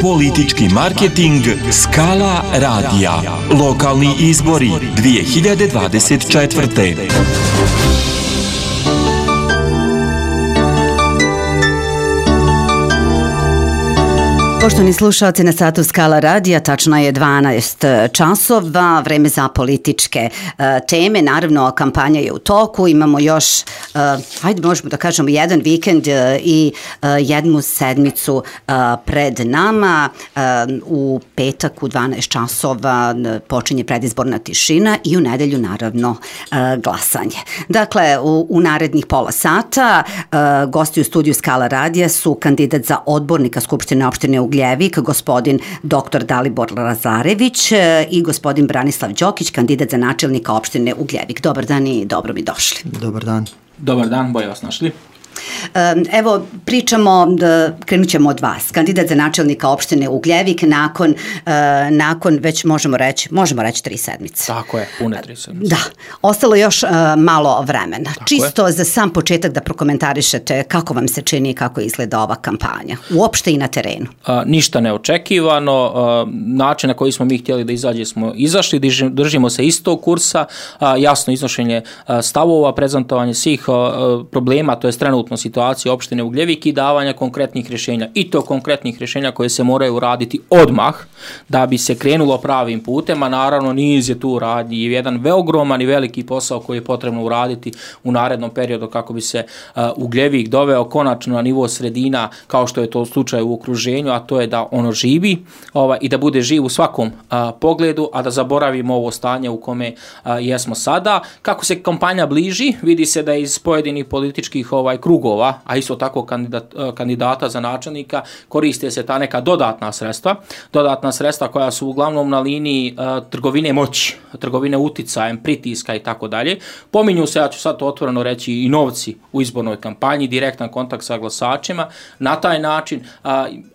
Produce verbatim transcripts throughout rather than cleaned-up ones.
Politički marketing Skala radija. Lokalni izbori dvije hiljade dvadeset četvrte. Poštovani slušalci, na satu Skala radija, tačno je dvanaest časova, vreme za političke uh, teme. Naravno, kampanja je u toku, imamo još, uh, hajde možemo da kažemo, jedan vikend uh, i uh, jednu sedmicu uh, pred nama. Uh, u petak u dvanaest časova počinje predizborna tišina i u nedelju, naravno, uh, glasanje. Dakle, u, u narednih pola sata uh, gosti u studiju Skala radija su kandidat za odbornika Skupštine opštine Ugljevik, gospodin doktor Dalibor Lazarević i gospodin Branislav Đokić, kandidat za načelnika opštine Ugljevik. Dobar dan i dobro mi došli. Dobar dan. Dobar dan, bolje vas našli. Evo, pričamo, krenut ćemo od vas. Kandidat za načelnika opštine Ugljevik nakon, nakon već možemo reći, možemo reći tri sedmice. Tako je, pune tri sedmice. Da, ostalo još malo vremena. Tako Čisto je. Za sam početak da prokomentarišete kako vam se čini i kako izgleda ova kampanja, uopšte i na terenu. A, ništa neočekivano, a, način na koji smo mi htjeli da izađe smo izašli, držimo se istog kursa, a, jasno iznošenje a, stavova, prezentovanje svih a, problema, to je trenutno situacije opštine Ugljevik i davanja konkretnih rješenja. I to konkretnih rješenja koje se moraju raditi odmah da bi se krenulo pravim putem, a naravno niz je tu radnji i jedan ogroman i veliki posao koji je potrebno uraditi u narednom periodu kako bi se uh, Ugljevik doveo konačno na nivo sredina kao što je to slučaj u okruženju, a to je da ono živi ovaj, i da bude živ u svakom uh, pogledu, a da zaboravimo ovo stanje u kome uh, jesmo sada. Kako se kampanja bliži, vidi se da iz pojedinih političkih ovaj krugova, a isto tako kandidat, kandidata za načelnika, koriste se ta neka dodatna sredstva, dodatna sredstva koja su uglavnom na liniji uh, trgovine moći, trgovine uticajem, pritiska i tako dalje. Pominju se, ja ću sad to otvoreno reći, i novci u izbornoj kampanji, direktan kontakt sa glasačima. Na taj način, uh,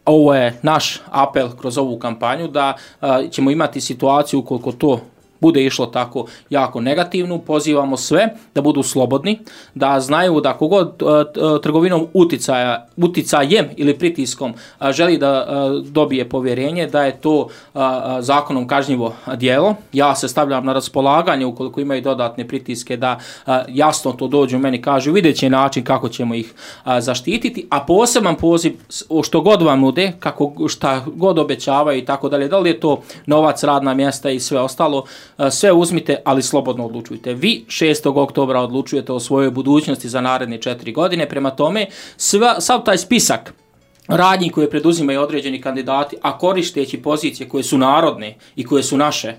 ovo je naš apel kroz ovu kampanju, da uh, ćemo imati situaciju ukoliko to bude išlo tako jako negativno, pozivamo sve da budu slobodni, da znaju da kogod uh, trgovinom uticaja, uticajem ili pritiskom uh, želi da uh, dobije povjerenje, da je to uh, zakonom kažnjivo djelo. Ja se stavljam na raspolaganje ukoliko imaju dodatne pritiske da uh, jasno to dođu meni, kažu vidjet će način kako ćemo ih uh, zaštititi, a poseban poziv što god vam nude, kako, šta god obećavaju i tako dalje, da li je to novac, radna mjesta i sve ostalo, sve uzmite, ali slobodno odlučujte. Vi šestog oktobra odlučujete o svojoj budućnosti za naredne četiri godine, prema tome sva, sav taj spisak radnji koje preduzimaju određeni kandidati, a koristeći pozicije koje su narodne i koje su naše,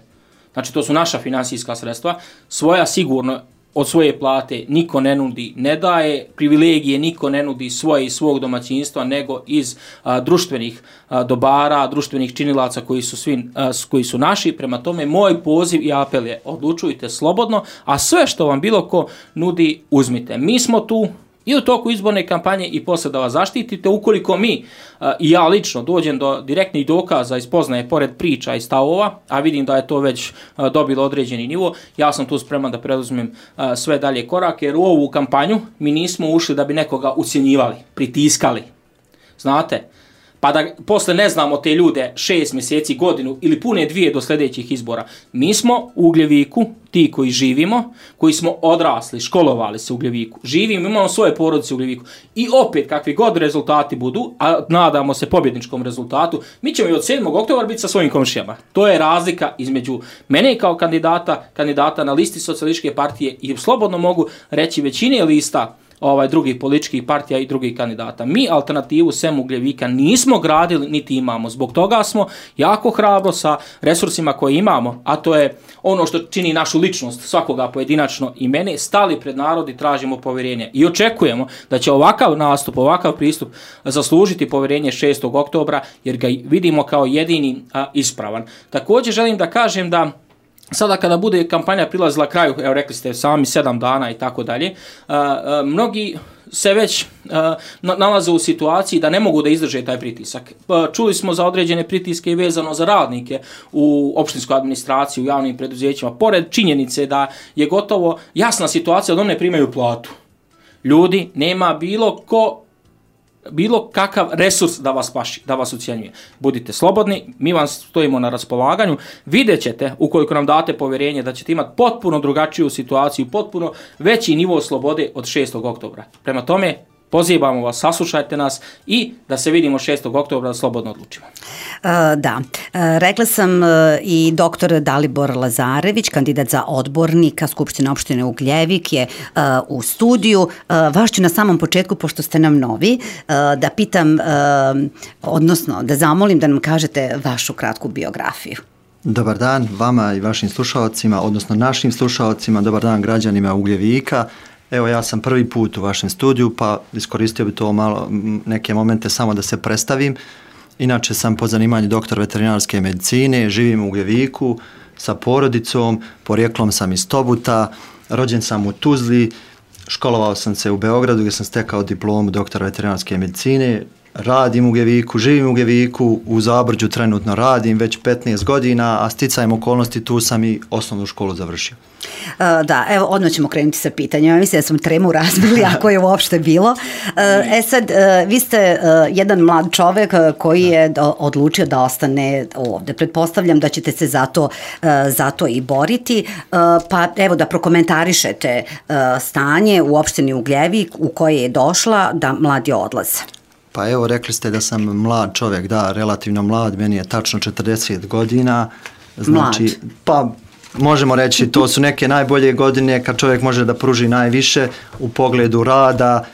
znači to su naša finansijska sredstva, svoja sigurno od svoje plate niko ne nudi, ne daje privilegije, niko ne nudi svoje iz svog domaćinstva, nego iz a, društvenih a, dobara, društvenih činilaca koji su, svi, a, koji su naši. Prema tome, moj poziv i apel je odlučujte slobodno, a sve što vam bilo ko nudi, uzmite. Mi smo tu i u toku izborne kampanje i posle da vas zaštitite. Ukoliko mi uh, i ja lično dođem do direktnih dokaza i spoznaje pored priča i stavova, a vidim da je to već uh, dobilo određeni nivo, ja sam tu spreman da preduzmem uh, sve dalje korake, jer u ovu kampanju mi nismo ušli da bi nekoga ucjenjivali, pritiskali. Znate, pa da posle ne znamo te ljude šest mjeseci, godinu ili pune dvije do sljedećih izbora. Mi smo u Ugljeviku, ti koji živimo, koji smo odrasli, školovali se u Ugljeviku, živimo, imamo svoje porodice u Ugljeviku i opet kakvi god rezultati budu, a nadamo se pobjedničkom rezultatu, mi ćemo i od sedmog oktobra biti sa svojim komšijama. To je razlika između mene kao kandidata, kandidata na listi Socijalističke partije i slobodno mogu reći većine lista ovaj drugih političkih partija i drugih kandidata. Mi alternativu sem Ugljevika nismo gradili niti imamo. Zbog toga smo jako hrabro sa resursima koje imamo, a to je ono što čini našu ličnost svakoga pojedinačno i mene, stali pred narod i tražimo povjerenje. I očekujemo da će ovakav nastup, ovakav pristup zaslužiti povjerenje šestog oktobra jer ga vidimo kao jedini a, ispravan. Također želim da kažem da sada kada bude kampanja prilazila kraju, evo rekli ste sami sedam dana i tako dalje, mnogi se već uh, nalaze u situaciji da ne mogu da izdrže taj pritisak. Uh, čuli smo za određene pritiske i vezano za radnike u opštinskoj administraciji, u javnim preduzećima, pored činjenice da je gotovo jasna situacija da oni ne primaju platu. Ljudi, nema bilo ko bilo kakav resurs da vas paši, da vas ucjenjuje. Budite slobodni, mi vam stojimo na raspolaganju, vidjet ćete, ukoliko nam date povjerenje, da ćete imati potpuno drugačiju situaciju, potpuno veći nivo slobode od šestog oktobra. Prema tome, pozivamo vas, saslušajte nas i da se vidimo šestog oktobra da slobodno odlučimo. Uh, da, uh, rekla sam uh, i doktor Dalibor Lazarević, kandidat za odbornika Skupštine opštine Ugljevik je uh, u studiju. Uh, vaš ću na samom početku, pošto ste nam novi, uh, da pitam, uh, odnosno da zamolim da nam kažete vašu kratku biografiju. Dobar dan vama i vašim slušalcima, odnosno našim slušalcima, dobar dan građanima Ugljevika. Evo, ja sam prvi put u vašem studiju, pa iskoristio bi to malo neke momente samo da se predstavim. Inače sam po zanimanju doktor veterinarske medicine, živim u Ugljeviku sa porodicom, porijeklom sam iz Tobuta, rođen sam u Tuzli, školovao sam se u Beogradu gdje sam stekao diplomu doktora veterinarske medicine, radim u Ugljeviku, živim u Ugljeviku, u Zabrđu trenutno radim već petnaest godina, a sticajem okolnosti tu sam i osnovnu školu završio. Uh, da, evo, odmah ćemo krenuti sa pitanjem. Mislim da smo tremu razbili, ako je uopšte bilo. Uh, e sad, uh, vi ste uh, jedan mlad čovek koji je do, odlučio da ostane ovde. Pretpostavljam da ćete se zato, uh, zato i boriti. Uh, pa evo da prokomentarišete uh, stanje u opštini Ugljevik u koje je došla da mladi odlaze. Pa evo, rekli ste da sam mlad čovjek, da, relativno mlad, meni je tačno četrdeset godina. Znači, mlad. Pa možemo reći, to su neke najbolje godine kad čovjek može da pruži najviše u pogledu rada,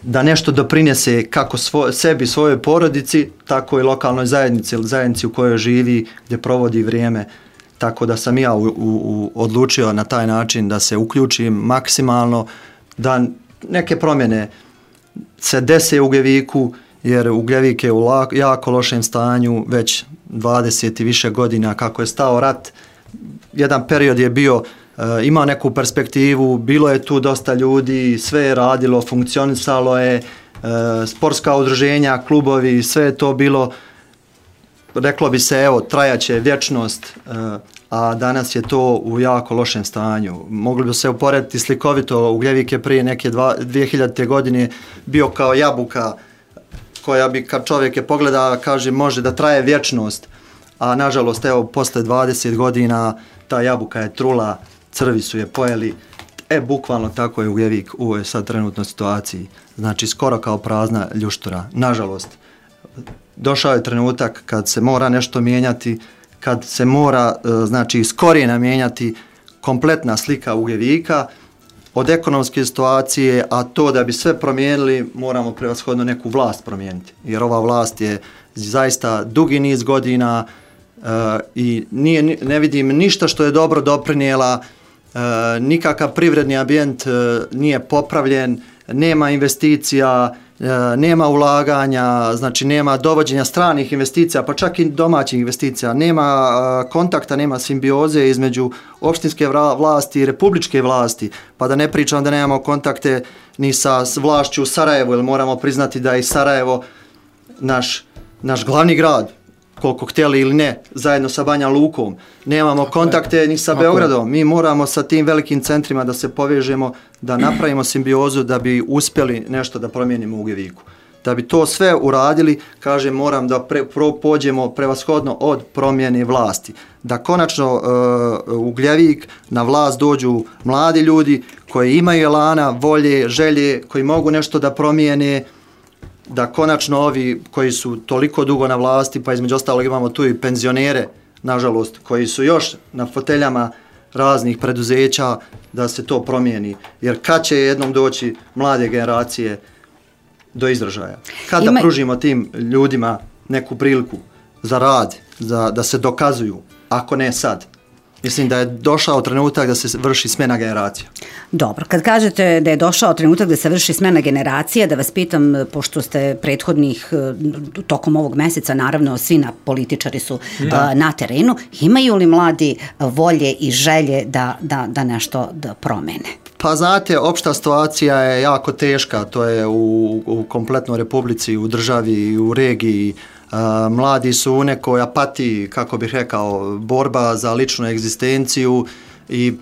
da nešto doprinese kako svo, sebi, svojoj porodici, tako i lokalnoj zajednici ili zajednici u kojoj živi, gdje provodi vrijeme. Tako da sam ja u, u, u, odlučio na taj način da se uključim maksimalno, da neke promjene se dese u Ugljeviku, jer Ugljevik je u la, jako lošem stanju već dvadeset i više godina kako je stao rat. Jedan period je bio, uh, imao neku perspektivu, bilo je tu dosta ljudi, sve je radilo, funkcionisalo je, uh, sportska udruženja, klubovi, sve je to bilo, reklo bi se, evo, trajaće vječnost, uh, a danas je to u jako lošem stanju. Mogli bi se uporediti slikovito, Ugljevik je prije neke dva, dvije hiljadite godine bio kao jabuka koja bi, kad čovjek je pogleda, kaže, može da traje vječnost, a nažalost, evo, posle dvadeset godina ta jabuka je trula, crvi su je pojeli, e, bukvalno tako je Ugljevik u ovoj sad trenutnoj situaciji. Znači, skoro kao prazna ljuštura. Nažalost, došao je trenutak kad se mora nešto mijenjati, kad se mora, znači, iz korijena mijenjati kompletna slika Ugljevika, od ekonomske situacije, a to da bi sve promijenili, moramo prevashodno neku vlast promijeniti. Jer ova vlast je zaista dugi niz godina uh, i nije, ne vidim ništa što je dobro doprinijela, uh, nikakav privredni ambijent uh, nije popravljen, nema investicija, uh, nema ulaganja, znači nema dovođenja stranih investicija, pa čak i domaćih investicija, nema uh, kontakta, nema simbioze između opštinske vlasti i republičke vlasti, pa da ne pričam da nemamo kontakte ni sa vlašću u Sarajevu, jer moramo priznati da je Sarajevo naš naš glavni grad, koliko htjeli ili ne, zajedno sa Banja Lukom. Nemamo tako kontakte je. Ni sa tako Beogradom. Mi moramo sa tim velikim centrima da se povežemo, da napravimo simbiozu da bi uspjeli nešto da promijenimo u Ugljeviku. Da bi to sve uradili, kažem, moram da pre, pro, pođemo prevashodno od promjene vlasti. Da konačno uh, u Ugljevik na vlast dođu mladi ljudi koji imaju elana, volje, želje, koji mogu nešto da promijene, da konačno ovi koji su toliko dugo na vlasti, pa između ostalog imamo tu i penzionere, nažalost, koji su još na foteljama raznih preduzeća, da se to promijeni. Jer kad će jednom doći mlade generacije do izražaja? Kada Ima... pružimo tim ljudima neku priliku za rad, za, da se dokazuju, ako ne sad? Mislim da je došao trenutak da se vrši smjena generacija. Dobro, kad kažete da je došao trenutak da se vrši smjena generacija, da vas pitam, pošto ste prethodnih, tokom ovog mjeseca, naravno svi na političari su da. na terenu, imaju li mladi volje i želje da, da, da nešto da promene? Pa znate, opšta situacija je jako teška, to je u, u kompletnoj republici, u državi i u regiji. Uh, mladi su u nekoj apatiji, kako bih rekao, borba za ličnu egzistenciju i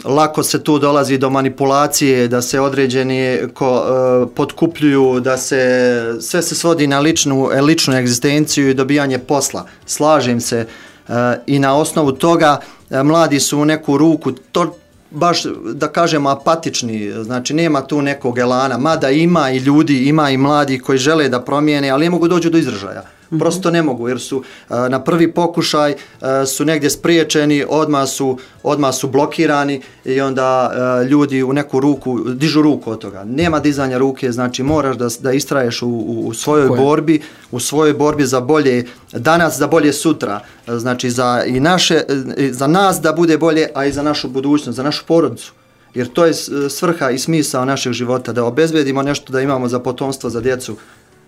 lako se tu dolazi do manipulacije, da se određeni ko, uh, potkupljuju, da se sve se svodi na ličnu, ličnu egzistenciju i dobijanje posla. Slažem se uh, i na osnovu toga uh, mladi su u neku ruku to baš da kažemo apatični, znači nema tu nekog elana, mada ima i ljudi, ima i mladi koji žele da promijene, ali ne mogu doći do izražaja. Prosto ne mogu, jer su uh, na prvi pokušaj uh, su negdje spriječeni, odmah su, odmah su blokirani i onda uh, ljudi u neku ruku, dižu ruku od toga. Nema dizanja ruke, znači moraš da, da istraješ u, u, u svojoj Koje? borbi, u svojoj borbi za bolje danas, za bolje sutra. Znači za, i naše, za nas da bude bolje, a i za našu budućnost, za našu porodicu. Jer to je svrha i smisao našeg života, da obezbedimo nešto da imamo za potomstvo, za djecu,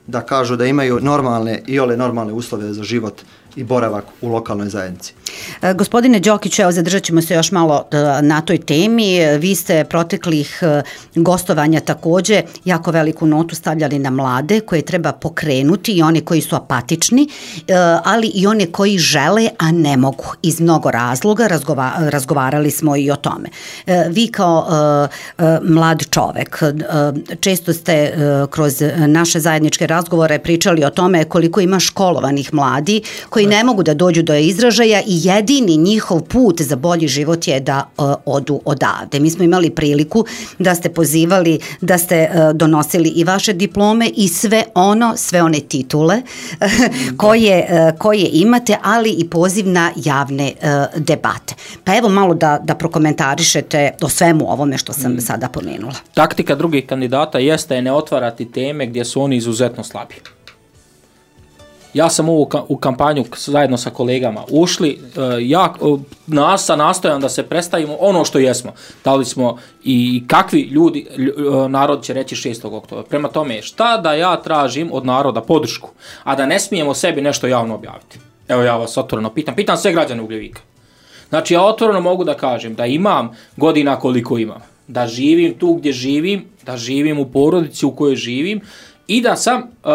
da kažu da imaju normalne i ole normalne uslove za život i boravak u lokalnoj zajednici. E, gospodine Đokiću, evo zadržat ćemo se još malo na toj temi. Vi ste proteklih gostovanja također jako veliku notu stavljali na mlade koje treba pokrenuti i one koji su apatični, ali i one koji žele, a ne mogu. Iz mnogo razloga razgova, razgovarali smo i o tome. E, vi kao e, mlad čovek, e, često ste e, kroz naše zajedničke razgovore pričali o tome koliko ima školovanih mladi koji ne mogu da dođu do izražaja i jedini njihov put za bolji život je da uh, odu odavde. Mi smo imali priliku da ste pozivali, da ste uh, donosili i vaše diplome i sve ono, sve one titule koje, uh, koje imate, ali i poziv na javne uh, debate. Pa evo malo da, da prokomentarišete o svemu ovome što sam mm. sada pomenula. Taktika drugih kandidata jeste ne otvarati teme gdje su oni izuzetno slabi. Ja sam u, u kampanju zajedno sa kolegama ušli, ja nas nastojam da se predstavimo ono što jesmo. Da li smo i kakvi ljudi, narod će reći šestog oktobra. Prema tome, šta da ja tražim od naroda podršku, a da ne smijemo sebi nešto javno objaviti? Evo ja vas otvoreno pitam, pitam sve građane Ugljevika. Znači ja otvoreno mogu da kažem da imam godina koliko imam, da živim tu gdje živim, da živim u porodici u kojoj živim, i da sam uh,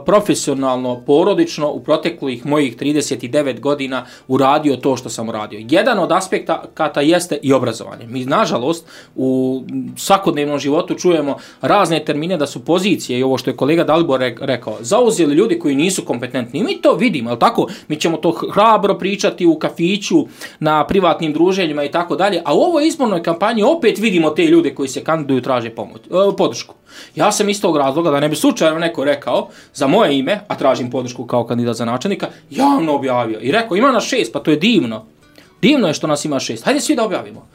profesionalno, porodično u proteklih mojih trideset devet godina uradio to što sam uradio. Jedan od aspekata jeste i obrazovanje. Mi, nažalost, u svakodnevnom životu čujemo razne termine da su pozicije, i ovo što je kolega Dalibor rekao, zauzeli ljudi koji nisu kompetentni. I mi to vidimo, je li tako? Mi ćemo to hrabro pričati u kafiću, na privatnim druženjima i tako dalje, a u ovoj izbornoj kampanji opet vidimo te ljude koji se kandiduju traže pomoć, uh, podršku. Ja sam iz tog razloga, da ne bi slučajno neko rekao za moje ime, a tražim podršku kao kandidat za načelnika, javno objavio i rekao ima nas šest, pa to je divno. Divno je što nas ima šest. Hajde svi da objavimo.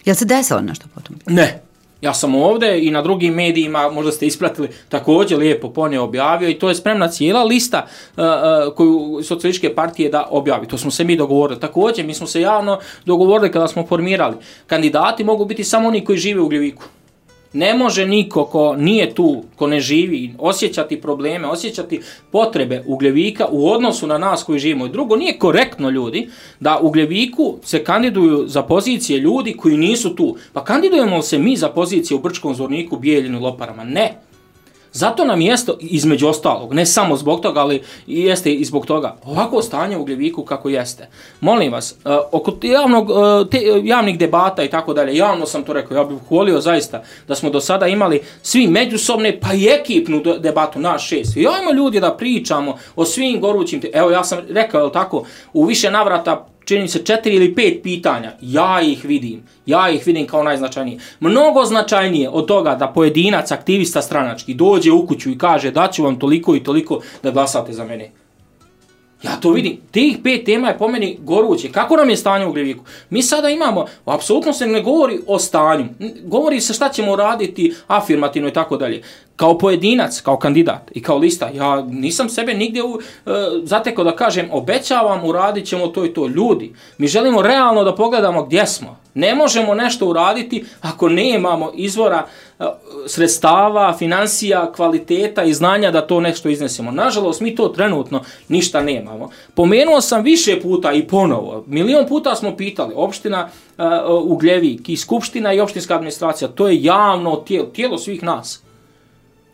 Jel se desilo nešto potom? Ne. Ja sam ovdje i na drugim medijima, možda ste ispratili, također lijepo ponio objavio i to je spremna cijela lista uh, uh, koju socijalističke partije da objavi. To smo se mi dogovorili. Također mi smo se javno dogovorili kada smo formirali. Kandidati mogu biti samo oni koji žive u Ugljeviku. Ne može niko ko nije tu, ko ne živi, osjećati probleme, osjećati potrebe Ugljevika u odnosu na nas koji živimo. I drugo, nije korektno, ljudi, da u Ugljeviku se kandiduju za pozicije ljudi koji nisu tu. Pa kandidujemo se mi za pozicije u Brčkom Zvorniku, Bijeljinu, Loparama? Ne. Zato nam jeste, između ostalog, ne samo zbog toga, ali jeste i zbog toga, ovako stanje u Ugljeviku kako jeste. Molim vas, uh, oko javnog, uh, te, javnih debata i tako dalje, javno sam to rekao, ja bih volio zaista da smo do sada imali svi međusobne, pa i ekipnu debatu, naš šest. I ajmo ljudi da pričamo o svim gorućim, te- evo ja sam rekao, je tako, u više navrata, čini se četiri ili pet pitanja, ja ih vidim, ja ih vidim kao najznačajnije. Mnogo značajnije od toga da pojedinac, aktivista stranački, dođe u kuću i kaže da ću vam toliko i toliko da glasate za mene. Ja to vidim. Tih pet tema je po meni goruće. Kako nam je stanje u Ugljeviku? Mi sada imamo, apsolutno se ne govori o stanju. Govori se šta ćemo raditi afirmativno i tako dalje. Kao pojedinac, kao kandidat i kao lista, ja nisam sebe nigdje u, e, zatekao da kažem obećavam, uradit ćemo to i to. Ljudi, mi želimo realno da pogledamo gdje smo. Ne možemo nešto uraditi ako ne imamo izvora e, sredstava, financija, kvaliteta i znanja da to nešto iznesemo. Nažalost, mi to trenutno ništa nemamo. Pomenuo sam više puta i ponovo, milion puta smo pitali, opština e, Ugljevik i skupština i opštinska administracija, to je javno tijelo, tijelo svih nas.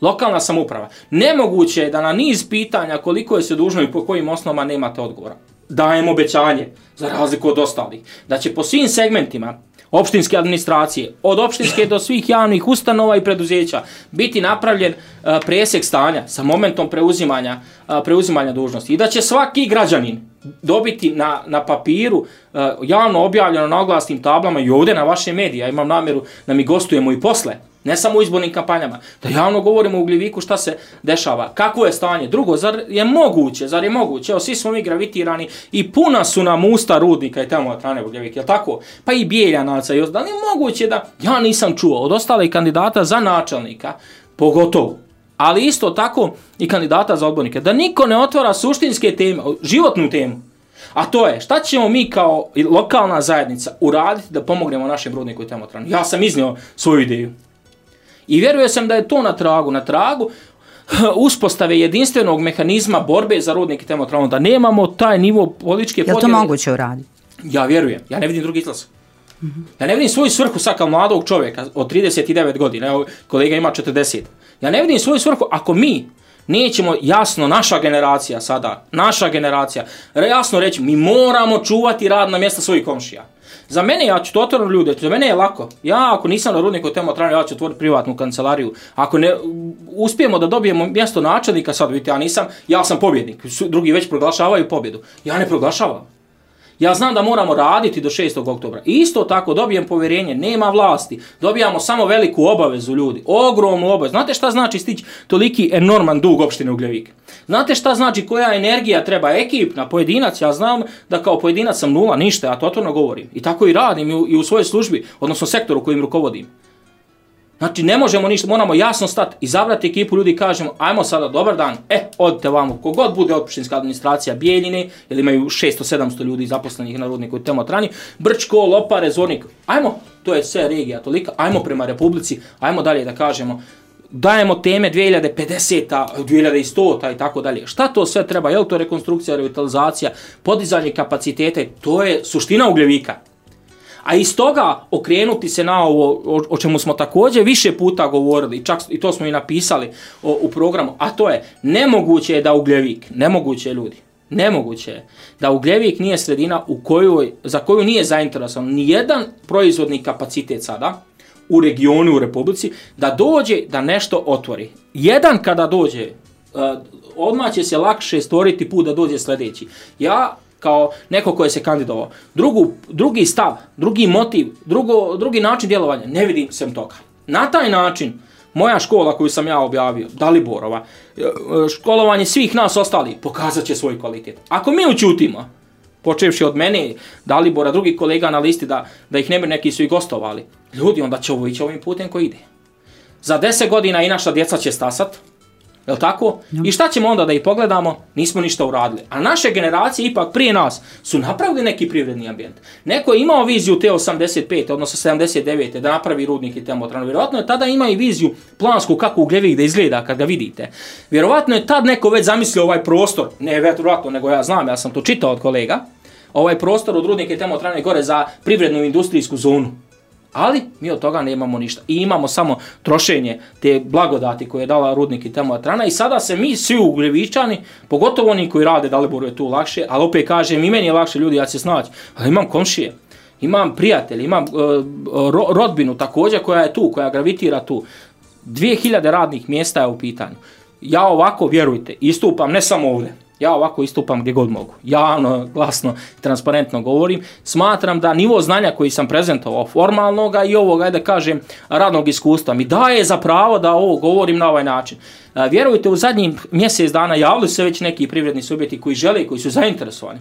Lokalna samouprava. Nemoguće je da na niz pitanja koliko je se dužno i po kojim osnovama nemate odgovora. Dajem obećanje, za razliku od ostalih, da će po svim segmentima opštinske administracije, od opštinske do svih javnih ustanova i preduzeća, biti napravljen uh, presjek stanja sa momentom preuzimanja, uh, preuzimanja dužnosti i da će svaki građanin dobiti na, na papiru uh, javno objavljeno na oglasnim tablama i ovdje na vaše medije. Ja imam namjeru da mi gostujemo i posle, ne samo u izbornim kampanjama, da javno govorimo u Ugljeviku šta se dešava, kakvo je stanje. Drugo, zar je moguće, zar je moguće, evo svi smo mi gravitirani i puna su nam usta rudnika i termoelektrane Ugljevik, jel tako? Pa i Bijeljanaca, da li je moguće da ja nisam čuo od ostalih kandidata za načelnika, pogotovo, ali isto tako i kandidata za odbornike, da niko ne otvara suštinske teme, životnu temu. A to je, šta ćemo mi kao lokalna zajednica uraditi da pomognemo našem rudniku i termoelektrani? Ja sam iznio svoju ideju. I vjerujem sam da je to na tragu, na tragu uspostave jedinstvenog mehanizma borbe za rudnik i termoelektranu, da nemamo taj nivo političke podjele. Je li to moguće uraditi? Ja vjerujem, ja ne vidim drugi izlaz. Mm-hmm. Ja ne vidim svoju svrhu sad kao mladog čovjeka od trideset devet godina, evo kolega ima četrdeset. Ja ne vidim svoju svrhu ako mi nećemo jasno, naša generacija sada, naša generacija, jasno reći, mi moramo čuvati radna mjesta svojih komšija. Za mene, ja ću to otvoriti ljude, za mene je lako. Ja ako nisam na rudniku i termoelektrani, ja ću otvoriti privatnu kancelariju. Ako ne uspijemo da dobijemo mjesto načelnika, sad vidite, ja nisam, ja sam pobjednik. Drugi već proglašavaju pobjedu. Ja ne proglašavam. Ja znam da moramo raditi do šestog oktobra. Isto tako dobijem povjerenje, nema vlasti. Dobijamo samo veliku obavezu ljudi. Ogromnu obavezu. Znate šta znači stići toliki enorman dug opštine Ugljevik? Znate šta znači koja energija treba ekipna, pojedinac? Ja znam da kao pojedinac sam nula, ništa, ja to otvoreno govorim. I tako i radim i u, i u svojoj službi, odnosno sektoru kojim rukovodim. Znači ne možemo ništa, moramo jasno stati, izabrati ekipu ljudi i kažemo ajmo sada dobar dan, e, odite vamo, kogod bude opštinska administracija Bijeljine, jer imaju šesto sedamsto ljudi zaposlenih na rudniku i termoelektrani, Brčko, Lopare, Zvornik, ajmo, to je sve regija tolika, ajmo prema Republici, ajmo dalje da kažemo, dajemo teme dvije hiljade pedeseta, dvije hiljade sto i tako dalje. Šta to sve treba, je li to rekonstrukcija, revitalizacija, podizanje kapaciteta, to je suština Ugljevika. A iz toga okrenuti se na ovo o, o čemu smo također više puta govorili, čak i to smo i napisali o, u programu, a to je nemoguće je da Ugljevik, nemoguće je ljudi, nemoguće je da Ugljevik nije sredina u kojoj, za koju nije zainteresovan ni jedan proizvodni kapacitet sada u regionu, u Republici, da dođe da nešto otvori. Jedan kada dođe, uh, odmah će se lakše stvoriti put da dođe sljedeći. Ja kao neko koji se kandidovao. Drugu, drugi stav, drugi motiv, drugo, drugi način djelovanja, ne vidim sem toga. Na taj način, moja škola koju sam ja objavio, Daliborova, školovanje svih nas ostali, pokazat će svoj kvalitet. Ako mi učutimo, počevši od mene, Dalibora, drugih kolega na listi, da, da ih ne bi neki su i gostovali, ljudi, onda će ovo ići ovim putem koji ide. Za deset godina i naša djeca će stasat, jel' tako? Ja. I šta ćemo onda da ih pogledamo? Nismo ništa uradili. A naše generacije ipak prije nas su napravili neki privredni ambijent. Neko je imao viziju te osamdeset pete, odnosno sedamdeset devete da napravi rudnik i termoelektranu. Vjerovatno je tada imao i viziju plansku kako Ugljevik da izgleda kad ga vidite. Vjerovatno je tad neko već zamislio ovaj prostor, ne vjerovatno, nego ja znam, ja sam to čitao od kolega, ovaj prostor od rudnika i termoelektrane gore za privrednu industrijsku zonu. Ali mi od toga nemamo ništa. I imamo samo trošenje te blagodati koje je dala rudnik i termoelektrana i sada se mi svi Ugljevičani, pogotovo oni koji rade, Daliboru je tu lakše, ali opet kažem i meni je lakše, ljudi, ja se snaći, ali imam komšije, imam prijatelje, imam uh, ro, rodbinu također koja je tu, koja gravitira tu. dvije hiljade radnih mjesta je u pitanju. Ja ovako, vjerujte, istupam ne samo ovdje. Ja ovako istupam gdje god mogu. Javno, glasno, transparentno govorim. Smatram da nivo znanja koji sam prezentovao, formalnoga i ovoga, da kažem, radnog iskustva, mi daje za pravo da ovo govorim na ovaj način. Vjerujte, u zadnjih mjesec dana javili se već neki privredni subjekti koji žele, koji su zainteresovani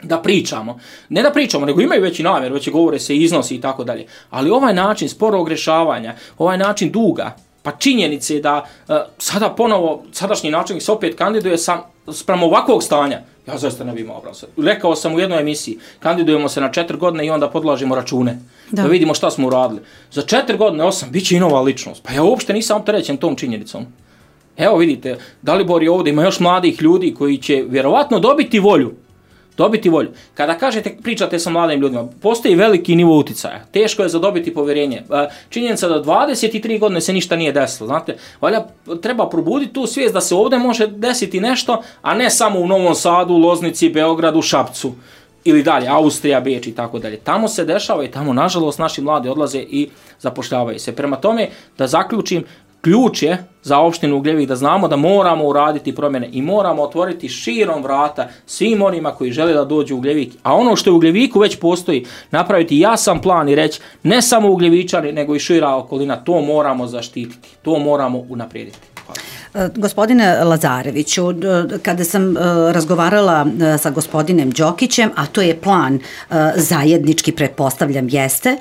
da pričamo. Ne da pričamo, nego imaju već i namjer, već govore se iznosi i tako dalje. Ali ovaj način sporog rješavanja, ovaj način duga, pa činjenice da uh, sada ponovo, sadašnji načelnik se opet kandiduje sam sprem ovakvog stanja, ja zaista ne bi imao obraza. Rekao sam u jednoj emisiji, kandidujemo se na četiri godine i onda podlažimo račune, da, da vidimo šta smo uradili. Za četiri godine, osam, bit će i nova ličnost. Pa ja uopšte nisam opterećen tom činjenicom. Evo vidite, Dalibor je ovdje, ima još mladih ljudi koji će vjerovatno dobiti volju. Dobiti volju. Kada kažete, pričate sa mladim ljudima, postoji veliki nivo uticaja. Teško je zadobiti povjerenje. Činjenica da dvadeset tri godine se ništa nije desilo. Znate, valja, treba probuditi tu svijest da se ovdje može desiti nešto, a ne samo u Novom Sadu, Loznici, Beogradu, Šapcu. ili dalje, Austrija, Beč i tako dalje. Tamo se dešava i tamo, nažalost, naši mladi odlaze i zapošljavaju se. Prema tome, da zaključim, ključ je za opštinu Ugljevik da znamo da moramo uraditi promjene i moramo otvoriti širom vrata svim onima koji žele da dođu u Ugljevik. A ono što u Ugljeviku već postoji, napraviti jasan plan i reći ne samo Ugljevičani, nego i šira okolina, to moramo zaštititi, to moramo unaprijediti. Gospodine Lazareviću, kada sam razgovarala sa gospodinem Đokićem, a to je plan zajednički, pretpostavljam, jeste,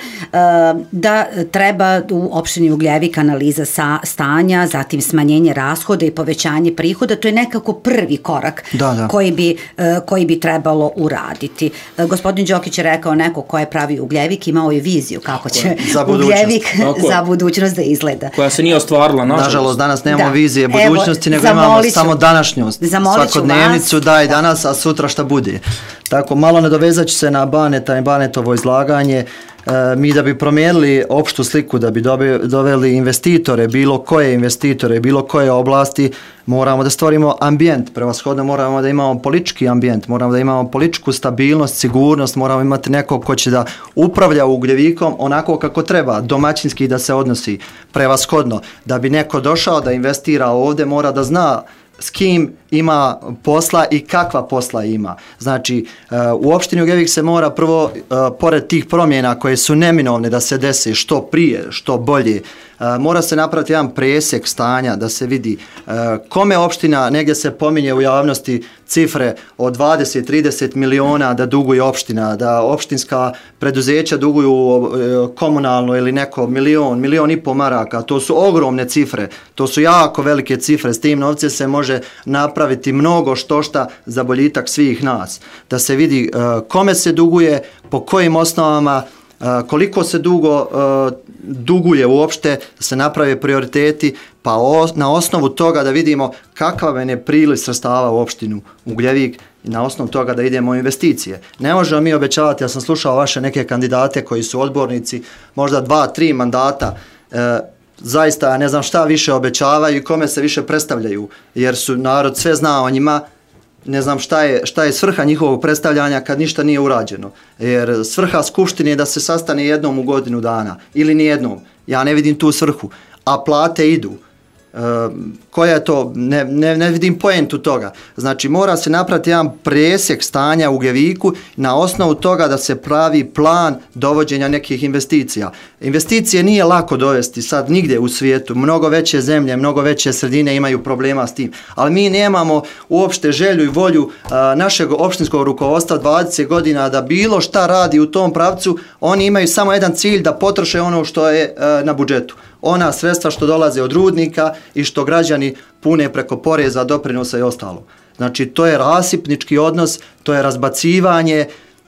da treba u opštini Ugljevik analiza stanja, zatim smanjenje rashoda i povećanje prihoda, to je nekako prvi korak da, da. Koji, bi, koji bi trebalo uraditi. Gospodin Đokić je rekao, neko ko je pravi Ugljevik, imao je viziju kako će za Ugljevik za budućnost da izgleda. Koja se nije ostvarila, nažalost. Nažalost, danas nemamo da. Vizije budućnosti, nego imamo samo današnjost, svakodnevnicu, da i danas, a sutra šta bude. Tako, malo nadovezat ću se na Baneta i Banetovo izlaganje. E, mi da bi promijenili opštu sliku, da bi dobi, doveli investitore, bilo koje investitore, bilo koje oblasti, moramo da stvorimo ambijent, prevashodno moramo da imamo politički ambijent, moramo da imamo političku stabilnost, sigurnost, moramo imati nekog ko će da upravlja Ugljevikom onako kako treba, domaćinski da se odnosi, prevashodno. Da bi neko došao da investira ovdje, mora da zna s kim ima posla i kakva posla ima. Znači, u opštini Ugljevik se mora prvo, pored tih promjena koje su neminovne da se dese što prije, što bolje, mora se napraviti jedan presjek stanja da se vidi kome opština, negdje se pominje u javnosti cifre od dvadeset do trideset miliona da duguje opština, da opštinska preduzeća duguju komunalno ili neko milion, milion i po maraka. To su ogromne cifre, to su jako velike cifre. S tim novce se može napraviti mnogo što šta za boljitak svih nas. Da se vidi kome se duguje, po kojim osnovama, koliko se dugo uh, duguje uopšte, da se naprave prioriteti, pa o, na osnovu toga da vidimo kakav je nepriliv sredstava u opštinu Ugljevik i na osnovu toga da idemo u investicije. Ne možemo mi obećavati, ja sam slušao vaše neke kandidate koji su odbornici, možda dva, tri mandata, uh, zaista ne znam šta više obećavaju i kome se više predstavljaju, jer su narod sve zna o njima. Ne znam šta je, šta je svrha njihovog predstavljanja kad ništa nije urađeno. Jer svrha skupštine je da se sastane jednom u godinu dana. Ili nijednom. Ja ne vidim tu svrhu. A plate idu. E, koja je to? Ne, ne, ne vidim poentu toga. Znači mora se napraviti jedan presjek stanja u Ugljeviku na osnovu toga da se pravi plan dovođenja nekih investicija. Investicije nije lako dovesti sad nigdje u svijetu. Mnogo veće zemlje, mnogo veće sredine imaju problema s tim. Ali mi nemamo uopšte želju i volju a, našeg opštinskog rukovodstva dvadeset godina da bilo šta radi u tom pravcu. Oni imaju samo jedan cilj, da potroše ono što je a, na budžetu. Ona sredstva što dolaze od rudnika i što građani pune preko poreza, doprinosa i ostalo. Znači, to je rasipnički odnos, to je razbacivanje,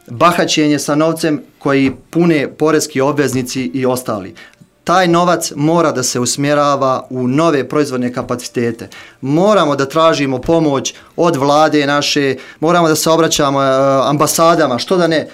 bahaćenje sa novcem koji pune poreski obveznici i ostali. Taj novac mora da se usmjerava u nove proizvodne kapacitete. Moramo da tražimo pomoć od vlade naše, moramo da se obraćamo ambasadama, što da ne.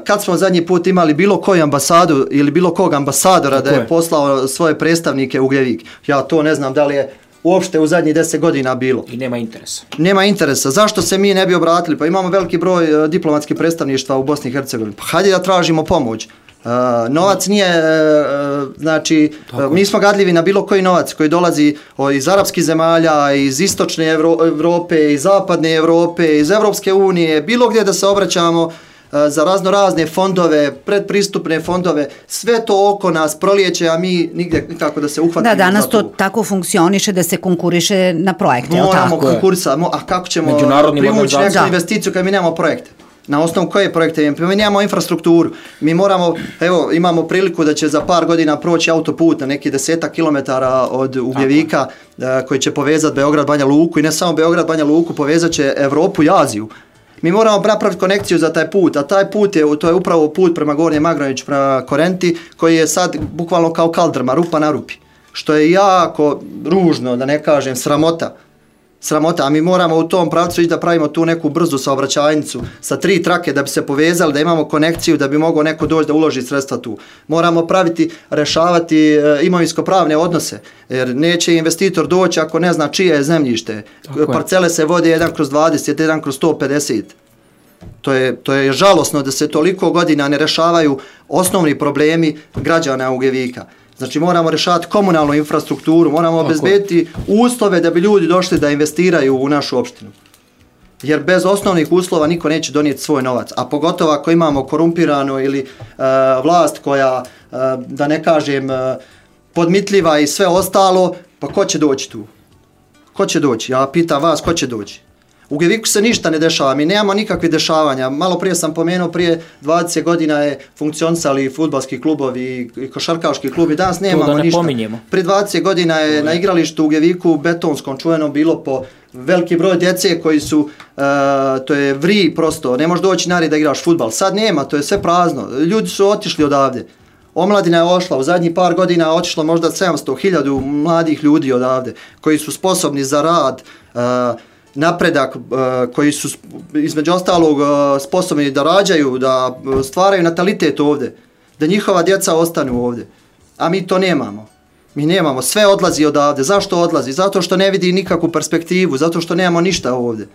Kad smo zadnji put imali bilo koju ambasadu ili bilo kog ambasadora da je poslao svoje predstavnike u Ugljevik? Ja to ne znam da li je uopšte u zadnjih deset godina bilo. I nema interesa. Nema interesa. Zašto se mi ne bi obratili? Pa imamo veliki broj diplomatskih predstavništva u Bosni i Hercegovini. Pa hajde da tražimo pomoć. Uh, novac nije, uh, znači, uh, mi smo gadljivi na bilo koji novac koji dolazi o, iz arapskih zemalja, iz istočne Evro, Evrope, iz zapadne Evrope, iz Evropske unije, bilo gdje da se obraćamo uh, za razno razne fondove, predpristupne fondove, sve to oko nas prolijeće, a mi nigdje kako da se uhvatimo. Da, danas to tako funkcioniše da se konkuriše na projekte. Moramo konkurisati, a kako ćemo privući neku investiciju kad mi nemamo projekte? Na osnovu koje projekte? Mi nemamo infrastrukturu. Mi moramo, evo, imamo priliku da će za par godina proći autoput na neki desetak kilometara od Ugljevika koji će povezati Beograd, Banja Luku i ne samo Beograd, Banja Luku, povezat će Evropu i Aziju. Mi moramo napraviti konekciju za taj put, a taj put je, to je upravo put prema Gornjem Magroviću, prema Korenti, koji je sad bukvalno kao kaldrma, rupa na rupi. Što je jako ružno, da ne kažem, sramota. Sramota, a mi moramo u tom pravcu ići da pravimo tu neku brzu saobraćajnicu sa tri trake da bi se povezali, da imamo konekciju, da bi mogao neko doći da uloži sredstva tu. Moramo praviti, rešavati e, imovinsko-pravne odnose, jer neće investitor doći ako ne zna čije je zemljište. Parcele se vode jedan kroz dvadeset, jedan kroz sto pedeset. To je, to je žalosno da se toliko godina ne rešavaju osnovni problemi građana Ugljevika. Znači moramo rešavati komunalnu infrastrukturu, moramo obezbediti uslove da bi ljudi došli da investiraju u našu opštinu. Jer bez osnovnih uslova niko neće donijeti svoj novac. A pogotovo ako imamo korumpirano ili uh, vlast koja, uh, da ne kažem, uh, podmitljiva i sve ostalo, pa ko će doći tu? Ko će doći? Ja pitam vas, ko će doći? U Ugljeviku se ništa ne dešava, mi nemamo nikakve dešavanja. Malo prije sam pomenuo, prije dvadeset godina je funkcionisali fudbalski klubovi i košarkaški klubi, danas nemamo to da ne ništa. Pominjemo. Prije dvadeset godina je na igralištu u Ugljeviku betonskom čuveno bilo po veliki broj djece koji su, uh, to je vri prosto, ne možeš doći nari da igraš fudbal. Sad nema, to je sve prazno. Ljudi su otišli odavde. Omladina je ošla, u zadnjih par godina je otišlo možda sedamsto hiljada mladih ljudi odavde, koji su sposobni za rad, uh, napredak, uh, koji su između ostalog uh, sposobni da rađaju, da stvaraju natalitet ovdje, da njihova djeca ostanu ovdje. A mi to nemamo. Mi nemamo, sve odlazi odavde. Zašto odlazi? Zato što ne vidi nikakvu perspektivu, zato što nemamo ništa ovdje.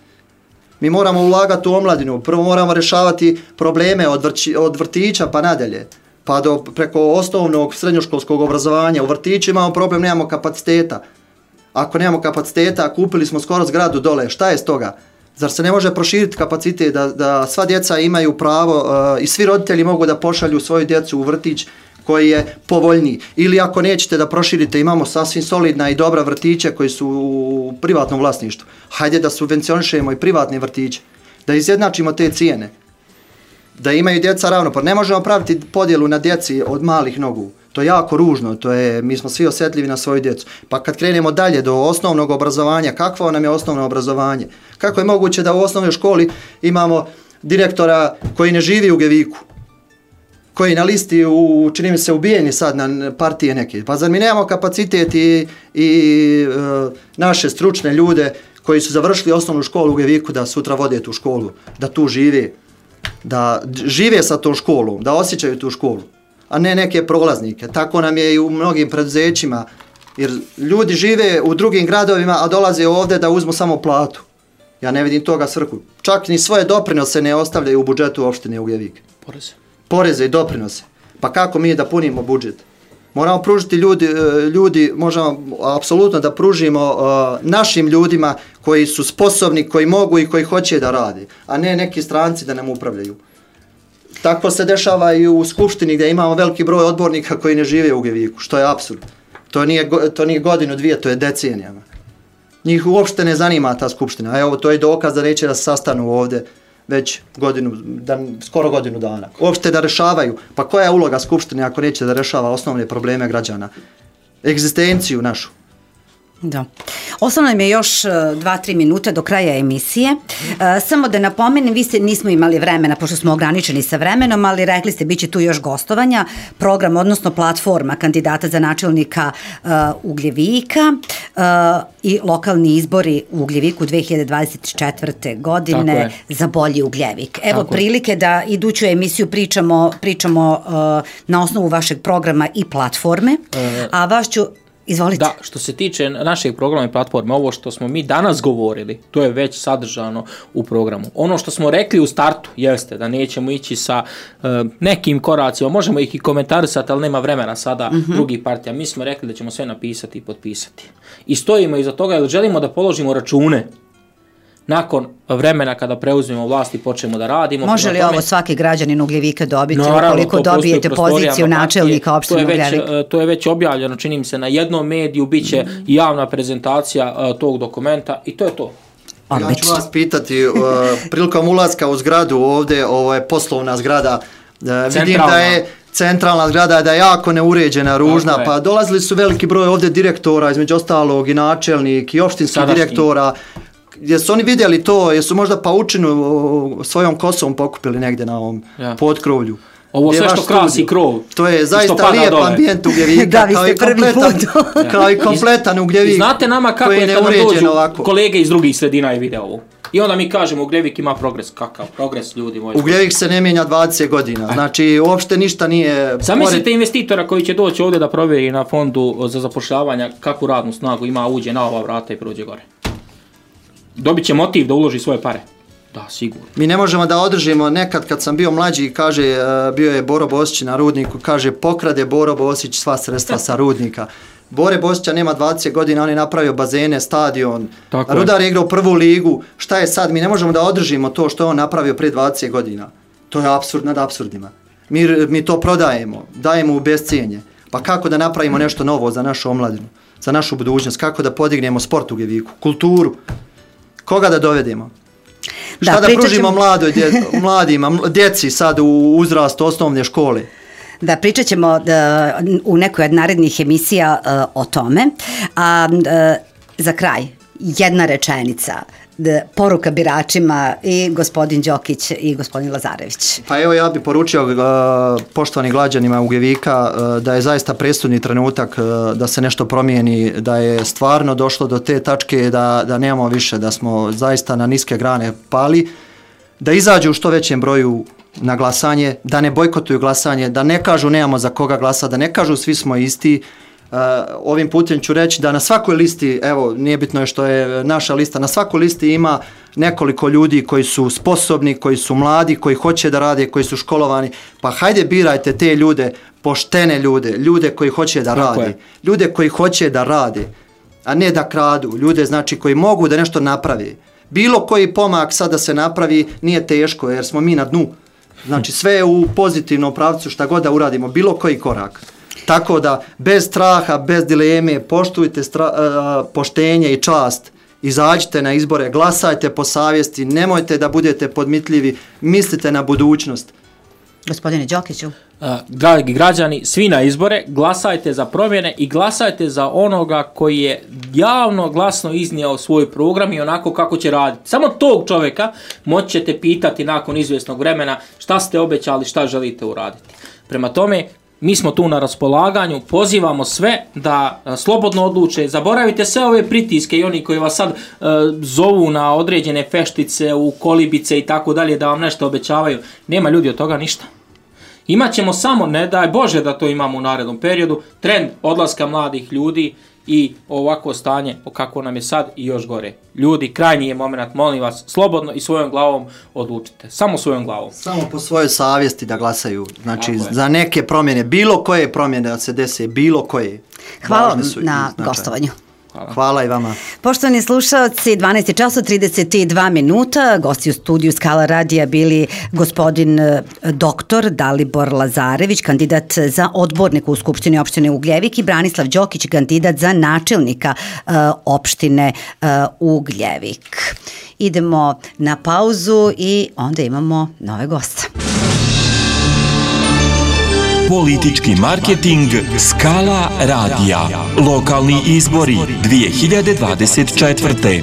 Mi moramo ulagati u omladinu, prvo moramo rješavati probleme od, vrći, od vrtića pa nadalje, pa do preko osnovnog srednjoškolskog obrazovanja. U vrtiću imamo problem, nemamo kapaciteta. Ako nemamo kapaciteta, kupili smo skoro zgradu dole, šta je s toga? Zar se ne može proširiti kapacitet da, da sva djeca imaju pravo uh, i svi roditelji mogu da pošalju svoju djecu u vrtić koji je povoljniji? Ili ako nećete da proširite, imamo sasvim solidna i dobra vrtiće koji su u privatnom vlasništvu. Hajde da subvencionišemo i privatne vrtiće, da izjednačimo te cijene, da imaju djeca ravnopravno. Ne možemo praviti podjelu na djeci od malih nogu. To je jako ružno, to je, mi smo svi osjetljivi na svoju djecu. Pa kad krenemo dalje do osnovnog obrazovanja, kakvo nam je osnovno obrazovanje? Kako je moguće da u osnovnoj školi imamo direktora koji ne živi u Ugljeviku, koji na listi, u, čini mi se, ubijeni sad na partije neke? Pa zar mi nemamo kapacitet i, i e, naše stručne ljude koji su završili osnovnu školu u Ugljeviku da sutra vode tu školu, da tu žive, da žive sa tom školom, da osjećaju tu školu, a ne neke prolaznike. Tako nam je i u mnogim preduzećima, jer ljudi žive u drugim gradovima, a dolaze ovdje da uzmu samo platu. Ja ne vidim toga svrhu. Čak ni svoje doprinose ne ostavljaju u budžetu opštine Ugljevik. Poreze. Poreze i doprinose. Pa kako mi da punimo budžet? Moramo pružiti ljudi, ljudi možemo apsolutno da pružimo uh, našim ljudima koji su sposobni, koji mogu i koji hoće da radi, a ne neki stranci da nam upravljaju. Tako se dešava i u Skupštini gdje imamo veliki broj odbornika koji ne žive u Ugljeviku, što je apsurd. To nije, to nije godinu, dvije, to je decenijama. Njih uopšte ne zanima ta Skupština. A evo, to je dokaz da neće da se sastanu ovdje već godinu, da, skoro godinu dana. Uopšte da rešavaju. Pa koja je uloga Skupštine ako neće da rešava osnovne probleme građana? Egzistenciju našu. Da. Ostalo nam je još dva tri minute do kraja emisije. E, samo da napomenem, vi ste, nismo imali vremena, pošto smo ograničeni sa vremenom, ali rekli ste, bit će tu još gostovanja. Program, odnosno platforma kandidata za načelnika e, Ugljevika e, i lokalni izbori u Ugljeviku dve hiljade dvadeset četvrte. godine za bolji Ugljevik. Evo Tako prilike je. Da iduću emisiju pričamo, pričamo e, na osnovu vašeg programa i platforme, e... a vas ću... Izvolite. Da, što se tiče našeg programa i platforme, ovo što smo mi danas govorili, to je već sadržano u programu. Ono što smo rekli u startu jeste da nećemo ići sa uh, nekim koracima, možemo ih i komentarisati, ali nema vremena sada mm-hmm. drugih partija. Mi smo rekli da ćemo sve napisati i potpisati. I stojimo iza toga jer želimo da položimo račune nakon vremena kada preuzmemo vlast i počnemo da radimo. Može li tome... ovo svaki građanin Ugljevika dobiti, ukoliko dobijete poziciju načelnika opštine Ugljevik? To je već objavljeno, čini mi se, na jednom mediju, bit će mm. javna prezentacija uh, tog dokumenta i to je to. Ja ću vas pitati, uh, prilikom ulaska u zgradu ovdje, ovo je poslovna zgrada, uh, vidim da je centralna zgrada, da je jako neuređena, ružna, okay. Pa dolazili su veliki broj ovdje direktora, između ostalog i načelnik i opštinskih direktora. Jesu oni vidjeli to, jesu možda paučinu svojom kosom pokupili negdje na ovom ja. potkrovlju? Ovo sve što krasi krov. To je zaista lijep ambijent Ugljevika. Da, vi ste prvi put. Kao i kompletan Ugljevik. Znate nama kako je kada dođu ovako. Kolege iz drugih sredina i vide ovo. I onda mi kažemo Ugljevik ima progres. Kakav progres, ljudi moji? Ugljevik se ne mijenja dvadeset godina. Znači, uopšte ništa nije... Zamislite pored... investitora koji će doći ovdje da provjeri na fondu za zapošljavanja kakvu radnu snagu ima, uđe na ova vrata i prođe gore. Dobit će motiv da uloži svoje pare. Da, sigurno. Mi ne možemo da održimo, nekad kad sam bio mlađi, kaže, bio je Boro Bosić na Rudniku, kaže, pokrade Boro Bosić sva sredstva sa Rudnika. Bore Bosića nema dvadeset godina, on je napravio bazene, stadion, tako Rudar je igrao prvu ligu, šta je sad? Mi ne možemo da održimo to što je on napravio prije dvadeset godina. To je apsurd nad apsurdima. Mi, mi to prodajemo, dajemo u bescijenje. Pa kako da napravimo nešto novo za našu omladinu, za našu budućnost, kako da podignemo sport u Geviku, kulturu, koga da dovedemo? Da, šta da pružimo ćemo... mladoj, dje, mladima, djeci sad u uzrastu osnovne škole? Da, pričat ćemo da, u nekoj od narednih emisija uh, o tome. A uh, za kraj, jedna rečenica, da, poruka biračima i gospodin Đokić i gospodin Lazarević. Pa evo, ja bih poručio uh, poštovani građanima Ugljevika uh, da je zaista presudni trenutak uh, da se nešto promijeni, da je stvarno došlo do te tačke da, da nemamo više, da smo zaista na niske grane pali, da izađu u što većem broju na glasanje, da ne bojkotuju glasanje, da ne kažu nemamo za koga glasa, da ne kažu svi smo isti. Uh, ovim putem ću reći da na svakoj listi, evo, nije bitno je što je naša lista, na svakoj listi ima nekoliko ljudi koji su sposobni, koji su mladi, koji hoće da rade, koji su školovani. Pa hajde birajte te ljude, poštene ljude, ljude koji hoće da rade, ljude koji hoće da rade, a ne da kradu, ljude znači koji mogu da nešto napravi. Bilo koji pomak sad da se napravi nije teško jer smo mi na dnu. Znači sve je u pozitivnom pravcu šta god da uradimo, bilo koji korak. Tako da bez straha, bez dileme, poštujte stra, uh, poštenje i čast, izađite na izbore, glasajte po savjesti, nemojte da budete podmitljivi, mislite na budućnost. Gospodine Đokiću. Uh, dragi građani, svi na izbore, glasajte za promjene i glasajte za onoga koji je javno, glasno iznijeo svoj program i onako kako će raditi. Samo tog čovjeka moći ćete pitati nakon izvjesnog vremena šta ste obećali, šta želite uraditi. Prema tome, mi smo tu na raspolaganju, pozivamo sve da a, slobodno odluče, zaboravite sve ove pritiske i oni koji vas sad a, zovu na određene feštice, u kolibice i tako dalje, da vam nešto obećavaju. Nema ljudi od toga ništa. Imaćemo samo, ne daj Bože da to imamo u narednom periodu, trend odlaska mladih ljudi i ovako stanje o kako nam je sad i još gore. Ljudi, krajnji je moment, molim vas, slobodno i svojom glavom odlučite. Samo svojom glavom. Samo po svojoj savjesti da glasaju. Znači, za neke promjene, bilo koje promjene da se dese, bilo koje. Hvala vam na gostovanju. Hvala. Hvala i vama. Poštovani slušalci, dvanaest časova trideset dva minuta, gosti u studiju Skala radija bili gospodin doktor Dalibor Lazarević, kandidat za odbornika u Skupštini opštine Ugljevik i Branislav Đokić, kandidat za načelnika uh, opštine uh, Ugljevik. Idemo na pauzu i onda imamo nove goste. Politički marketing Skala radija. Lokalni izbori dvije hiljade dvadeset četvrte.